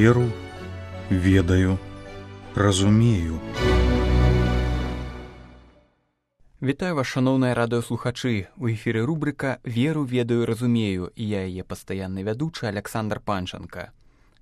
Веру, ведаю, разумею. Вітаю вас, шаноўныя радыёслухачы. У эфіры рубрыка «Веру, ведаю, разумею» і я яе пастаянны вядучы Александр Панченко.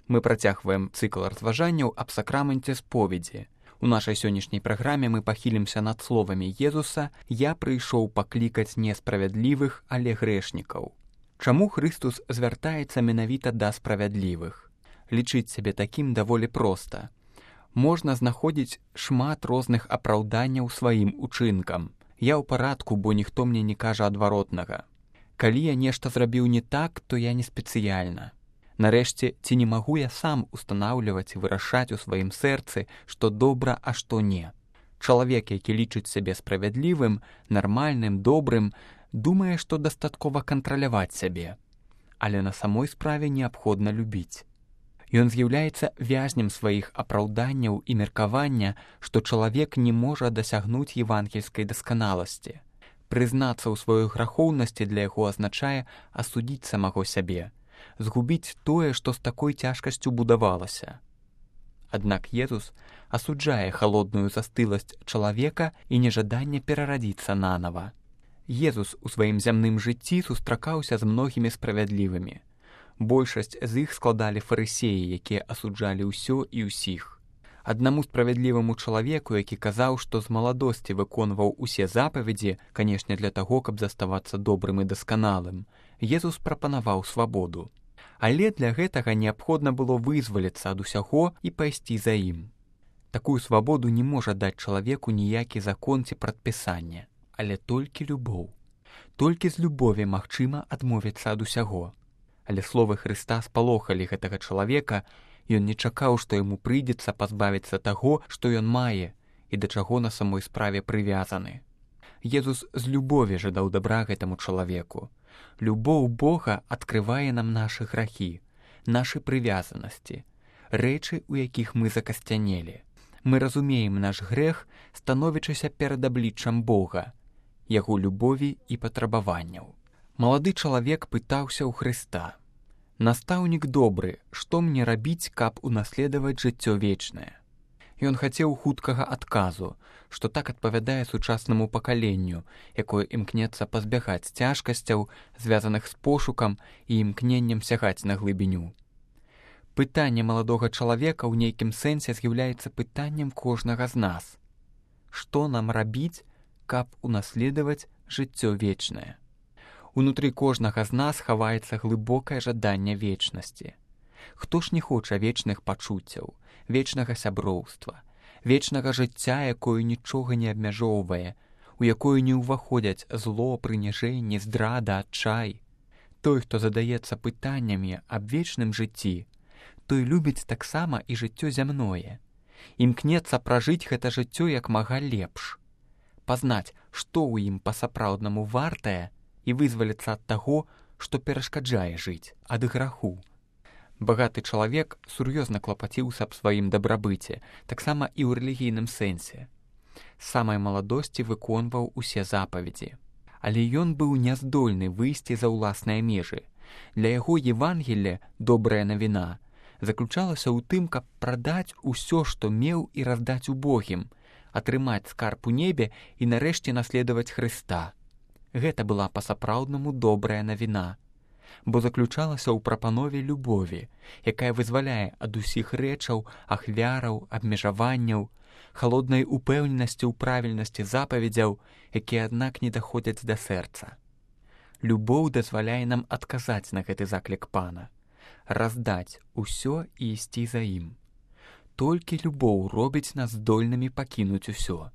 Мы працягваем цыкл разважанняў аб сакраменце споведзі. У нашай сённяшняй праграме мы пахілімся над словамі Езуса «Я прыйшоў паклікаць несправядлівых, але грэшнікаў». Чаму Хрыстус звяртаецца менавіта да справядлівых? Лічыць сябе такім даволі проста. Можна знаходзіць шмат розных апраўданняў сваім учынкам. Я ў парадку, бо ніхто мне не кажа адваротнага. Калі я нешта зрабіў не так, то я не спецыяльна. Нарэшце, ці не магу я сам устанаўліваць і вырашаць у сваім сэрцы, што добра, а што не. Чалавек, які лічыць сябе справядлівым, нармальным, добрым, думае, што дастаткова кантраляваць сябе. Але на самой справе неабходна любіць. Ён з'яўляецца вязнем сваіх апраўданняў і меркавання, што чалавек не можа дасягнуць евангельскай дасканаласці. Прызнацца ў сваёй грахоўнасці для яго азначае асудзіць самого сябе, згубіць тое, што з такой цяжкасцю будавалася. Аднак Езус асуджае халодную застыласць чалавека і нежаданне перарадзіцца нанава. Езус у сваім зямным жыцці сустракаўся з многімі справядлівымі. Большасць з іх складалі фарысеі, якія асуджалі ўсё і ўсіх. Аднаму справядліваму чалавеку, які казаў, што з маладосці выконваў усе запаведзі, канешне для таго, каб заставацца добрым і дасканалым, Езус прапанаваў свабоду. Але для гэтага неабходна было вызваліцца ад усяго і пайсці за ім. Такую свабоду не можа даць чалавеку ніякі закон ці прадпісанне, але толькі любоў. Толькі з любові магчыма адмовіцца ад усяго. Але словы Хрыста спалохалі гэтага чалавека, ён не чакаў, што яму прыйдзецца пазбавіцца таго, што ён мае і да чаго на самой справе прывязаны. Езус з любові жадаў дабра гэтаму чалавеку. Любоў Бога адкрывае нам нашы грахі, нашы прывязанасці, рэчы, у якіх мы закасцянелі. Мы разумеем наш грэх, становячыся перад абліччам Бога, яго любові і патрабаванняў. Малады чалавек пытаўся ў Хрыста: «Настаўнік добры, што мне рабіць, каб унаследаваць жыццё вечнае?» Ён хацеў хуткага адказу, што так адпавядае сучаснаму пакаленню, якое імкнецца пазбягаць цяжкасцяў, звязаных з пошукам і імкненнем сягаць на глыбіню. Пытанне маладога чалавека ў нейкім сэнсе з'яўляецца пытаннем кожнага з нас. Што нам рабіць, каб унаследаваць жыццё вечнае? Унутры кожнага з нас хаваецца глыбокае жаданне вечнасці. Хто ж не хоча вечных пачуццяў, вечнага сяброўства, вечнага жыцця, якое нічога не абмяжоўвае, у якое не ўваходзяць зло, прыніжэнне, здрада, адчай? Той, хто задаецца пытаннямі аб вечным жыцці, той любіць таксама і жыццё зямное. Імкнецца пражыць гэта жыццё як мага лепш. Пазнаць, што ў ім па-сапраўднаму вартае, і вызваліцца ад таго, што перашкаджае жыць, ад граху. Багаты чалавек сур'ёзна клапаціўся аб сваім дабрабыце, таксама і ў рэлігійным сэнсе. З самай маладосці выконваў усе запаведзі. Але ён быў няздольны выйсці за ўласныя межы. Для яго Евангелле, добрая навіна, заключалася ў тым, каб прадаць усё, што меў, і раздаць убогім, атрымаць скарб у небе і нарэшце наследаваць Хрыста. Гэта была па-сапраўднаму добрая навіна, бо заключалася ў прапанове любові, якая вызваляе ад усіх рэчаў, ахвяраў, абмежаванняў, халоднай упэўненасці ў правільнасці запаведзяў, якія, аднак, не даходзяць да сэрца. Любоў дазваляе нам адказаць на гэты заклік Пана, раздаць усё і ісці за ім. Толькі любоў робіць нас здольнымі пакінуць усё.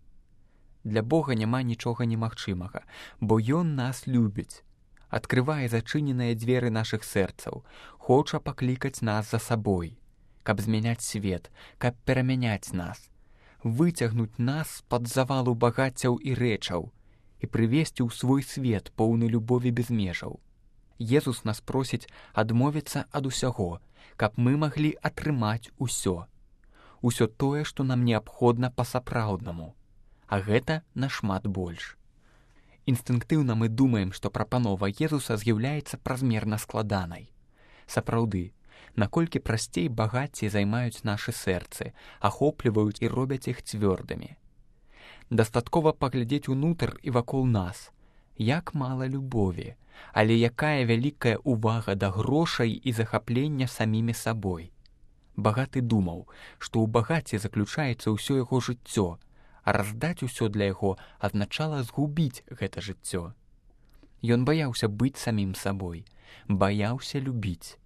Для Бога няма нічога немагчымага, бо Ён нас любіць, адкрывае зачыненыя дзверы нашых сэрцаў, хоча паклікаць нас за сабой, каб змяняць свет, каб перамяняць нас, выцягнуць нас з-пад завалу багаццяў і рэчаў і прывесці ў свой свет, поўны любові без межаў. Езус нас просіць адмовіцца ад усяго, каб мы маглі атрымаць усё. Усё тое, што нам неабходна па-сапраўднаму. А гэта нашмат больш. Інстынктыўна мы думаем, што прапанова Езуса з'яўляецца празмерна складанай. Сапраўды, наколькі прасцей багацці займаюць нашы сэрцы, ахопліваюць і робяць іх цвёрдымі. Дастаткова паглядзець унутр і вакол нас. Як мала любові, але якая вялікая ўвага да грошай і захаплення самімі сабой. Багаты думаў, што ў багацці заключаецца ўсё яго жыццё, а раздаць усё для яго азначала згубіць гэта жыццё. Ён баяўся быць самім сабой, баяўся любіць.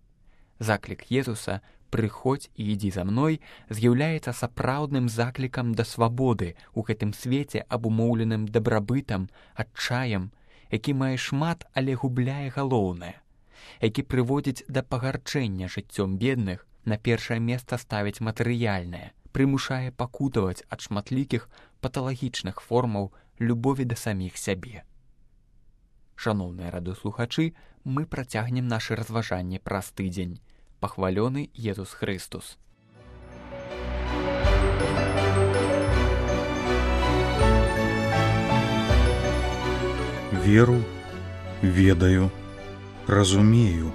Заклік Езуса «Прыходзь і ідзі за мной» з'яўляецца сапраўдным заклікам да свабоды ў гэтым свеце, абумоўленым дабрабытам, адчаем, які мае шмат, але губляе галоўнае, які прыводзіць да пагарчэння жыццём бедных, на першае месца ставіць матэрыяльнае, прымушае пакутаваць ад шматлікіх паталагічных формаў любові да саміх сябе. Шаноўныя радыёслухачы, мы працягнем нашы разважанні праз тыдзень. Пахвалёны Езус Хрыстус. Веру, ведаю, разумею.